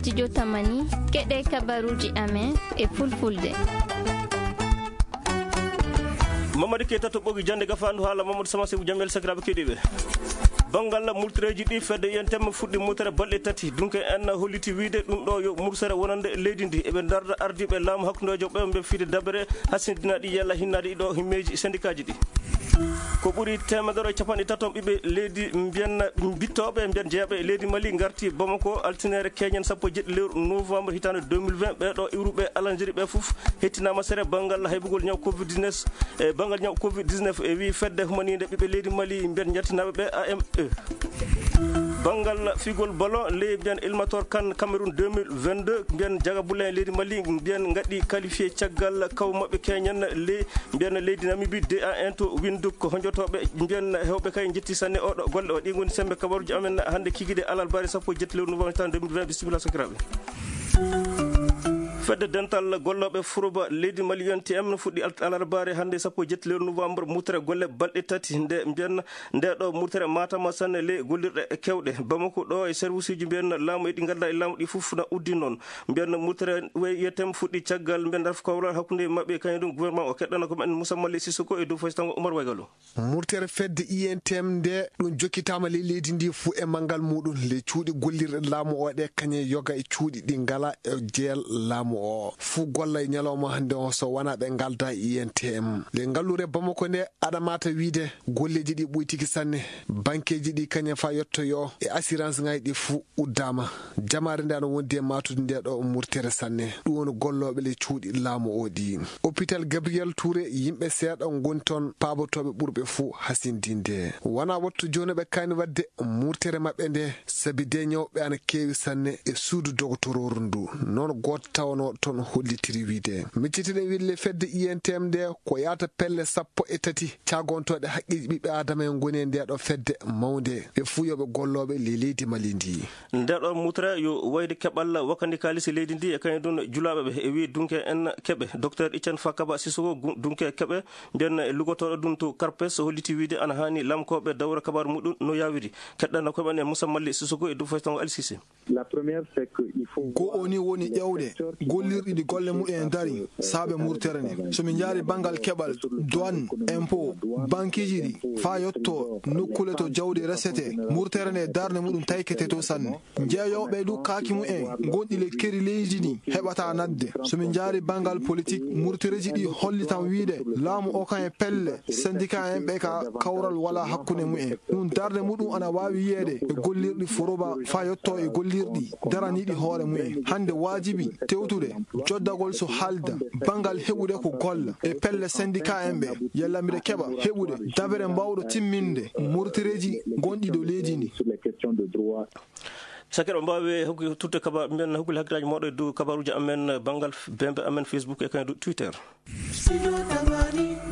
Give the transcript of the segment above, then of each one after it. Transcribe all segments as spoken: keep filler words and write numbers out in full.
Studio Tamani, keɗe kabaruuji amen e Fulfulde. Mamadi Keita to ɓogi jannde gafaandu haala Mamadou Sama Sebu Jamel, sakiraaɓe keɗiiɓe. Banngal murtereeji ɗi, fedde I N T M fuɗɗi murtere balɗe tati. Dunke en holliti wiyde ɗum ɗo yo murtere wonande leydi ndi. Eɓe ndarda ardiiɓe laamu hakkundeejo ɓe mbe fide dabere hasindinaaɗi yalla hinnaade ɗiɗo himmeeji sendikaaji ɗi. Ko ɓuri teemedere e capanɗe tato ɓiɓɓe leydi mbiyen bittooɓe mbiyen jeyaaɓe e leydi Mali ngarti Bamako altinere keñen sappo e jeɗɗi lewru novembre hitaande deux mille vingt. Ɓee ɗo iwruɓe alanjeri ɓe fof hettinaama sere banngal haybugol ñaw covid dix-neuf. E banngal ñaw covid dix-neuf e wii fedde humaniinde ɓiɓɓe leydi Mali mbiyen njaltinaaɓe ɓe A M E. Banngal figol ballon ley mbiyen éliminatoire CAN Cameroun deux mille vingt-deux, mbiyen Jaga Bule en leydi Mali mbiyen ngaɗi qualifié caggal kaw maɓɓe keñen ley mbiyen leydi Namibie deux à un to Windhoek. Ko honjotooɓe mbiyen hewɓe kay njetti sanne oɗo golle o. Ɗi ngoni sembe kabaruji amen hannde kikiɗe alarbaare sappo e jetti lewru novembre tan deux mille vingt. Bisimilla sakiraaɓe. Fedde dental gollooɓe Furoba leydi Mali, U N T M, fuɗɗi al-, alarbaare hannde sappo e jetti lewru novembre murtere golle balɗe tati nde mbiyen nde ɗo murtere matama sanne ley gollirɗe kewɗe. Bamako ɗo e service uji mbiyen laamu e ɗi ngannduɗaa e laamu ɗi fof na uddi noon. Mbiyen murtere U N T M fuɗɗi caggal mbiyen darf kawral hakkunde maɓɓe kañum ɗum gouvernement o. Keɗɗana ko men Moussa Mali Sissoko e dow faysango Oumar Waygalo. Murtere fedde U N T M nde ɗum jokkitaama ley leydi ndi fuu e manngal muɗum ley cuuɗi gollirɗe laamu o ɗe kañe yoga e cuuɗi ɗi ngala e jeel laamu o. Fuu golla e ñalawma hannde o so wonaa ɓe ngalda e U N T M. Nde ngallure Bamako nde aɗa mata wiide golleeji ɗi ɓuytiki sanne. Bankeeji ɗi kañe fa yottoyo e assurance ŋaaji ɗi fuu uddaama. Jamaare nde ana wondi e matude nde ɗo murtere sanne. Ɗum woni gollooɓe le cuuɗi laamu o ɗi. Hôpital Gabriel Touré, yimɓe seeɗa ngoni toon, paabotooɓe ɓurɓe fuu hasindinde. Wona wattu jooni ɓe kaani waɗde murtere maɓɓe nde, sabi de ñawɓe ana keewi sanne e suudu dogotororu ndu. Noon gooto tawanoo toon hollitiri wiide. Miccitiɗen wiide le fedde I N T M nde ko yaata pelle sappo e tati caagontooɗe haqqeeji ɓiɓɓe aadama en ngoni e nde ɗo fedde mawnde. Ɓe fuu yo ɓe gollooɓe le leydi Mali ndi. Nde ɗo mutre yo wayde keɓal wakandi kaalisi leydi ndi e kañum ɗum julaaɓe ɓe e wii dunke en keɓe. Docteur Etienne Fakaba Sissoko gu-, dunke keɓe mbiyen e lugotooɗo ɗum to Karpes holliti wiide ana haani lamkooɓe dawra kabaaru muɗum no yaawiri. Keɗɗanno koɓe en Moussa Malli Sissoko e dow faytango Ali Cissé. La première, c'est que il faut Ko o ni woni ƴeewde gollirɗi ɗi golle mumen dari saabe murtere nde. So min njaari banngal keɓal, douane, impôt, bankiiji ɗi, faa yotto nokkule to jawdi resete, murtere nde darnde muɗum taykete to sanne. Jeeyooɓe du kaaki mumen ngonɗi le keri leydi ndi heɓata nadde. So min njaari banngal politik, murtereeji ɗi hollitan wiide laamu o kan e pelle, syndicat en ɓe ka kawral wala hakkunde mumen. Ɗum darnde muɗum ana waawi yiyeede e gollirɗi Foroba faa yotto e gollirɗi daraniiɗi hoore mumen. Hannde waajibi tewtude joddagol so haalda banngal heɓude ko golla e pelle syndicat en ɓe, yalla mbiɗa keɓa heɓude dabere mbaawɗo timminde murtereeji gonɗi dow leydi ndi. Sakiraaɓe, mbaawe hokki-, tutte kaba-, mbiyen hokkule hakkilaaji mooɗon e dow kabaaruuji amen, banngal f-, bembe amen Facebook e kañum Twitter.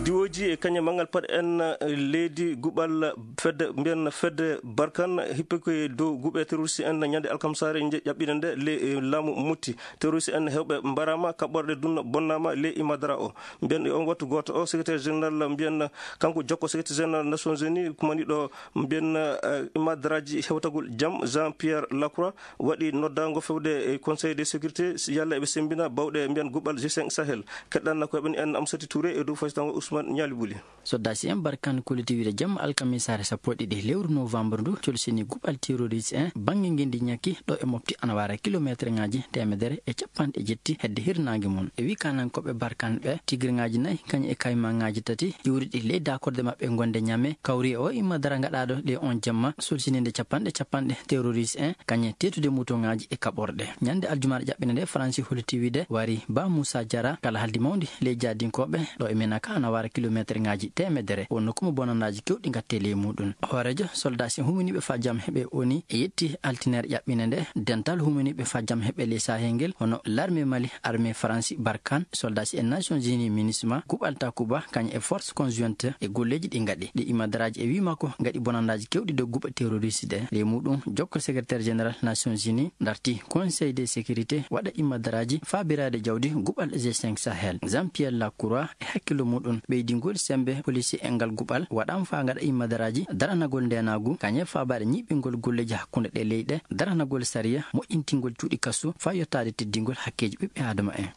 Diwooji e kañum manngal paɗ en, eh, leydi guɓal fedde, mbiyen fedde Barkan, hippe ko e dow guɓe terroriste en ñande alkamsaare nje-, ƴaɓɓiinde nde le, eh, laamu mutti. Terroriste en heewɓe mbaraama, kaɓɓorɗe dunno bonnaama le Imadara o. Mbiyen e on wattu gooto o, secrétaire général mbiyen kanko jokko secrétaire général Nations Unies kumaniɗo mbiyen, eh, imadaraaji hewtagol jam, Jean Pierre Lacroix, waɗi noddaango fewde e Conseil de sécurité, si yalla eɓe semmbina bawɗe mbiyen guɓal G cinq Sahel. Keɗɗanna ko eɓen en Amsati Touré e dow faytango Ousmane Ñaali Buli. Soldaaji en Barkan kolliti wiide jam alkamisaare sappo e ɗiɗi lewru novembre ndu, colsini guɓal terroriste en bannge ngenndi ñakki ɗo e mofti ana wara kilometre ŋaaji teemedere e capanɗe jetti hedde hirnaange mum. E wi kanankooɓe Barkan ɓe, tigirŋaaji nayi kañum e kaymaŋaaji tati iwriɗi ley daakorde maɓɓe gonde Ñame, kawri e o imadara ngaɗaaɗo ɗe on jamma, solsininde capanɗe capanɗe terroriste en, kañe teetude motoŋaaji e kaɓorɗe. Ñande aljumaaɗe ƴaɓɓinde nde, Faransi holliti wiide wari Ba Moussa Diarra, kala haldi mawndi ley jaadinkooɓe ɗo e Menaka ana wara kilometre ŋaaji teemedere. Wonno kuma bonandaaji kewɗi ngatte ley muɗum. Hooreejo soldaaji huminiiɓe faa jam heɓe O N U e yetti altineere ƴaɓɓinde nde, dental huminiiɓe faa jam heɓe ley Sahel ngel, hono l'armée Mali, armée Faransi, Barkan, soldaaji e Nations Unies, MINUSMA, guɓal Takuba, kañum e force conjointe e golleeji ɗi ngaɗi. Ɗi imadaraaji e wii makko ngaɗi bonandaaji kewɗi dow guɓe terroriste ɗe. Ley muɗum, jokko secrétaire général Nations Unies darti Conseil de sécurité waɗa imadaraaji faabiraade jawdi guɓal G cinq Sahel. Jean-Pierre Lacroix e hakkillo muɗum ɓeydi Ngol semmbe polisi e ngal guɓal waɗaama faa ngaɗa immadaraaji daranagol ndeenaagu, kañe faabaade ñiiɓingol golleeji hakkunde ɗee leyɗe, daranagol sariya, moƴƴintingol cuuɗi kasu faa yottaade teddingol hakkeeji ɓiɓɓe aadama en.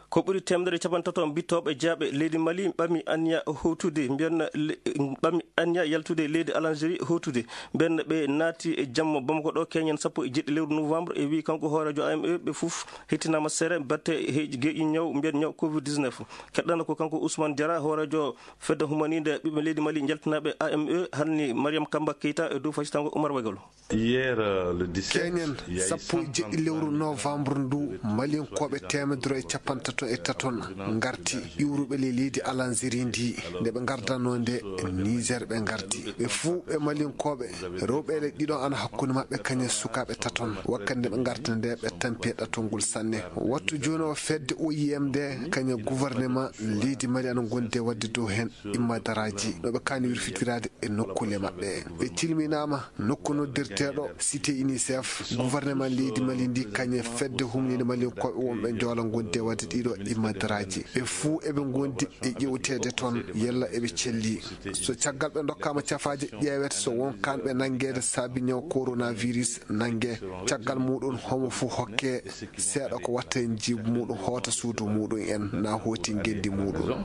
Ko ɓuri teemedere e capanɗe tato mbittooɓe jaaɓe leydi Mali ɓami anniya hootude, mbiyen le-, ɓami anniya yaltude leydi Alanjeri hootude. Mbiyen ɓe naati e jamma Bamako ɗo, keñen sappo e jeeɗiɗi lewru novembre, e wii kanko hooreejo A M E ɓe fof hettinaama sere batte he geeƴi ñaw, mbiyen ñaw covid dix-neuf. Keɗɗana ko kanko Ousmane Diarra, hooreejo fedde humaniinde ɓiɓɓe leydi Mali njaltinaaɓe A M E, halni Mariam Kamba Keita e dow fasitango Oumar Wagalo. Hier, euh, le dix-sept, keñen il y a eu sappo e jeeɗiɗi lewru novembre ndu, Malinkooɓe teemedere e capanɗe tato e taton ngarti, iwruɓe le leydi Alanjeri ndi. Nde ɓe ngardanoo nde, Niger ɓe ngarti. Ɓe fuu ɓe Malinkooɓe, rewɓe le ɗiɗo ana hakkunde maɓɓe, kañe sukaaɓe taton. Wakkati nde ɓe ngarta nde, ɓe tampi e ɗatol ngol sanne. Wattu jooni o fedde O I M nde, kañe gouvernement leydi Mali ana ngondi e waɗde dow heen immadaraaji, no ɓe kaani wirfitiraade e nokkuule maɓɓe. Ɓe cilminaama nokku noddirteeɗo Cité UNICEF, gouvernement leydi Mali ndi, kañe fedde humniinde Malinkooɓe wonɓe Njoola ngondi e waɗde ɗiɗo immadaraaji. Ɓe fuu eɓe ngondi e ƴeewteede toon, yalla eɓe celli. So caggal ɓe ndokkaama cafaaje, ƴeewete so won kaanɓe nanngeede saabi ñaw coronavirus nannge. Caggal muuɗum, homo fuu hokke seeɗa ko watta heen jiibu muuɗum, hoota suudu muuɗum en, na hooti ngenndi muuɗum.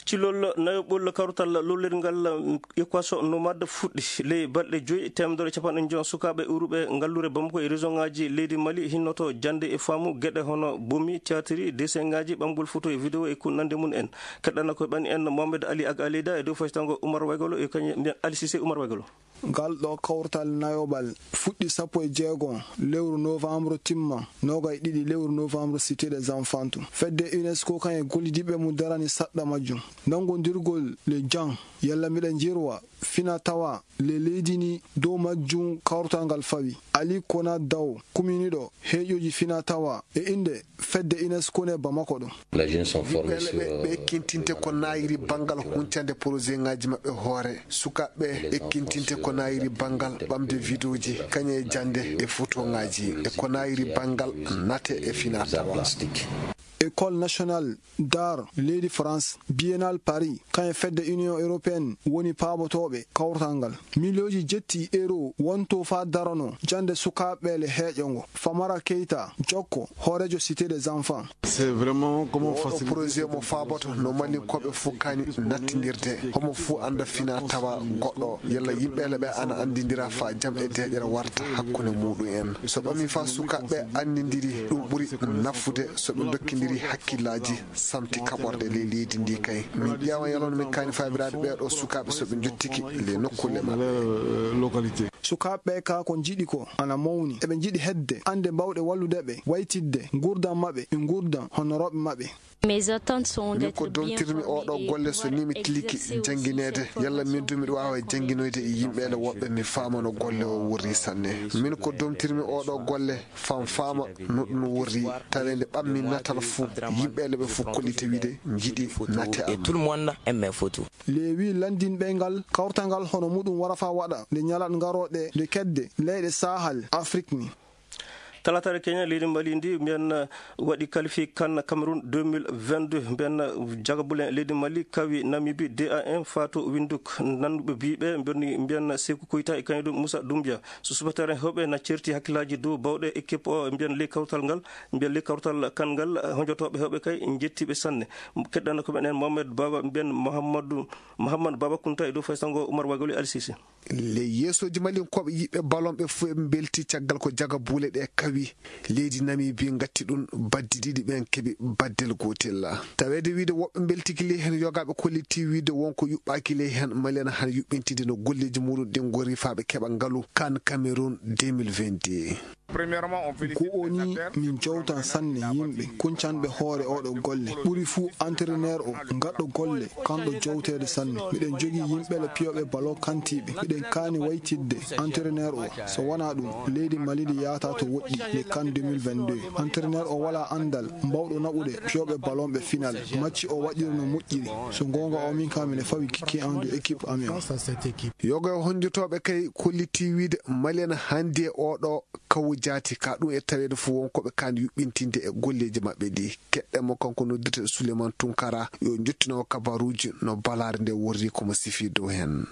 Cilol nayoɓol kawtal lollirngal Équation Nomade fuɗɗi. Ley balɗe joyi, teemedere e capanɗe joyi sukaaɓe iwruɓe ngalluure Bamako e région ŋaaji leydi Mali hinnoto jannde e faamu geɗe hono bomi, théâtre, dessin ŋaaji, ɓamgol photo e vidéo e ko nanndi mum en. Keɗɗana ko ɓan en Mohamed Ali Ag Aleyda e dow fasitango Oumar Wagalo e kañum mbiyen Ali Cissé Oumar Wagalo. Ngal ɗo kawtal nayoɓal fuɗɗi sappo e jeego lewru novembre, timma noogay ɗiɗi lewru novembre, Cité des Enfants. Fedde UNESCO kañum e gollidiiɓe mum darani saɗɗa majjum. Nanngondirgol le jang, yalla miɗa jirwa fina tawa le leydi ni dow majjum kawtal ngal fawi. Ali Kona Daw, kuminiiɗo heeƴooji fina tawa e innde fedde UNESCO ne Bamako ɗo. Les jeunes sont formés. Yimɓe sur, ɓe, ɓe euh, ekkintinte ko naayiri banngal huncande projet ŋaaji maɓɓe hoore. Sukaaɓe ekkintinte ko naayiri banngal ɓamde vidéoji, kañe e jannde e photo ŋaaji, e ko naayiri banngal nate e fina tawa. École nationale d'art leydi France, Biennale Paris, kañum e fedde Union Européenne woni paabotooɓe kawtal ngal. Miliyooji jetti euro wonto faa darano jannde sukaaɓe le heeƴo ngo. Famara Keita, jokko, hooreejo Cité des Enfants. C'est vraiment comment faciliter. Oɗo projet mo faaboto no Malinkooɓe fof kaani nattindirde. Homo fof annda fina tawa goɗɗo, yalla yimɓe le ɓe ana anndindira faa jam e deeƴere warta hakkunde muɗum en. So ɓami faa sukaaɓe anndindiri, ɗum ɓuri nafude so ɓe ndokkindiri hakkillaaji. Samti kaɓorɗe ley leydi ndi kay. Min ƴeewan yalon min kaani faabiraade ɓee ɗoo sukaaɓe so ɓe njottiki ley nokkuule maɓɓe. Sukaaɓe ɓee kaa ko njiɗi ko ana mawni. Eɓe njiɗi heɓde annde mbaawɗe wallude ɓe, waytitde nguurndam maɓɓe e nguurndam honorooɓe maɓɓe. Mes attentes sont d'être bien formés et voilà, exercer aussi. Min ko domtirmi oo ɗoo golle so nii mi tilike janngineede, yalla min du miɗo waawa jannginoyde e yimɓe le woɓɓe mi faama no golle o wurri sanne. Min ko domtirmi oo ɗoo golle. Fam faama no ɗum worri, taweede ɓammi natal fuu, yimɓe le ɓe fof kollita wiide njiɗi nate am. Et tout le monde aime mes photos. Leewi lanndinɓe ngal kawtal ngal hono muɗum wara faa waɗa nde ñalaɗe ngarooɗe nde kedde leyɗe Sahel Afrik ni. Talaataare keña leydi Mali ndi mbiyen waɗi qualifié CAN Cameroun deux mille vingt-deux, mbiyen jagabulen leydi Mali kawi Namibie deux à un, Fatou Windhoek nannuɓe biiɓe mbiyen, mbiyen Sekou Koita e kañum Moussa Doumbia. So subatare heewɓe na certi hakkillaaji dow baawɗe équipe o, mbiyen ley kawtal ngal, mbiyen ley kawtal CAN ngal, honjotooɓe heewɓe kay njettiiɓe sanne. Keɗɗana ko men en Mohamed Baba, mbiyen Mohamadou, Mohamed Baba Kounta e dow faysango Oumar Wagoli Al Sisi. Ley yeesooji Malinkooɓe yiɗɓe ballon ɓe fuu eɓe mbelti caggal ko jaga buule ɗe kawi leydi Namibie ngatti ɗum baddi ɗiɗi ɓen keɓi baddel gootel. Taweede wiide woɓɓe mbeltiki ley heen yogaaɓe kolliti wiide wonko yuɓɓaaki ley heen Mali ana han yuɓɓintinde no golleeji muɗum ɗin ngorri faa ɓe keɓa ngalu CAN Cameroun deux mille vingt-deux. Ko o ni min jowtan sanne yimɓe kuncanɓe hoore oɗo golle. Ɓuri fuu entraîneur o gaɗɗo golle kanɗo jowteede sanne. Miɗen jogii yimɓe le piyooɓe ballon kantiiɓe. Miɗen kaani waytidde entraîneur o. So wonaa ɗum, leydi Mali ndi yahata to woɗɗi. le CAN deux mille vingt-deux. Entraîneur o wala andal mbawɗo naɓude fiyooɓe ballon ɓe final. Match o waɗirno moƴƴiri. So goonga o min ka mine fawi kikke an de équipe amen. Yoga e honjotooɓe kay kolliti wiide Mali en hannde e oɗo kawu jaati ka ɗum e taweede fof won ko ɓe kaan yuɓɓintinde e golleeji maɓɓe ɗi. Keɗɗe mo kanko noddirte Souleymane Tunkara yo jottino kabaruuji no balaare nde worri ko mo sifi dow heen.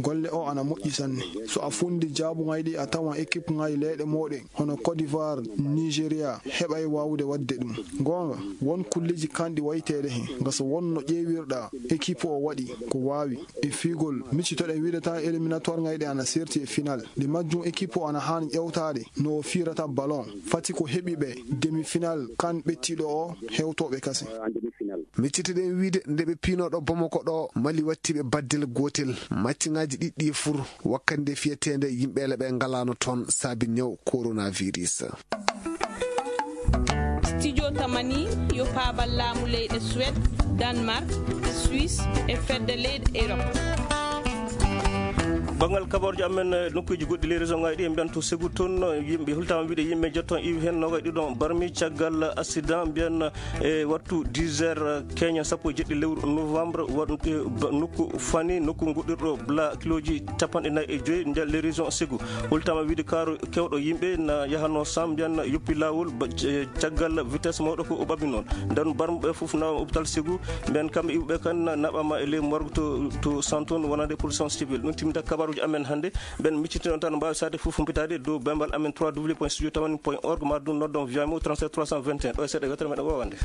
Golle o ana moƴƴi sanne. So a fundi jaabuŋaaji ɗi a tawan équipe ŋaaji leyɗe mooɗen hono Côte d'Ivoire, Nigeria heɓay waawude waɗde ɗum. Goonga, won kulleeji kanɗi wayteede heen. Nga so won no ƴeewirɗa équipe o waɗi ko waawi. E fiigol, miccitoɗen wiide tan éliminatoire ŋaaji ɗi ana serti e final. Nde majjum équipe o ana haani ƴewtaade no o fiirata ballon. Fati ko heɓi ɓe demi-final CAN ɓettiiɗo o hewtooɓe kase. Miccitoɗen wiide nde ɓe piinooɗo Bamako ɗo Mali wattiiɓe baddel gootel. Macciŋaaji ɗiɗɗi fur wakkande fiyeteende yimɓe le ɓe ngalaano toon saabi ñaw coronavirus. Studio Tamani yo paabal laamu leyɗe Suède, Danemark, Suisse e fedde leyɗe Europe. Banngal kabaruuji amen, eh, nokkuuji goɗɗi ley région ŋaaji ɗi, en mbiyan to Ségou toon, eh, yimɓe hultaama wiide yimɓe jetton iwi heen noogay ɗiɗon barmi caggal accident mbiyan, eh, wattu dix heures, eh, keña sappo e jeɗɗi lewru novembre, waɗ-, eh, ba-, nokku fani, nokku goɗɗirɗo bla kilooji capanɗe nayi e joyi nder ley région Ségou. Hultaama wiide kaaru kewɗo yimɓe na yahanno sam mbiyan yoppi laawol ba-, eh, caggal vitesse mawɗo ko o ɓaɓi noon. Nden barmuɓe fof na hôpital Ségou, mbiyan kamɓe iwɓe kan na-, naɓama e ley morgue to, to Santon wonande protection civile. Ɗum timmita kabaruuji amen hannde. Mben miccitino tan mbaawi saade fof humpitaade dow bembal amen trois W point studio tamani point org, ma ɗum noddon via mo trente-sept trois cent vingt et un. Ɗo e seeɗa yewtere meɗen wowande.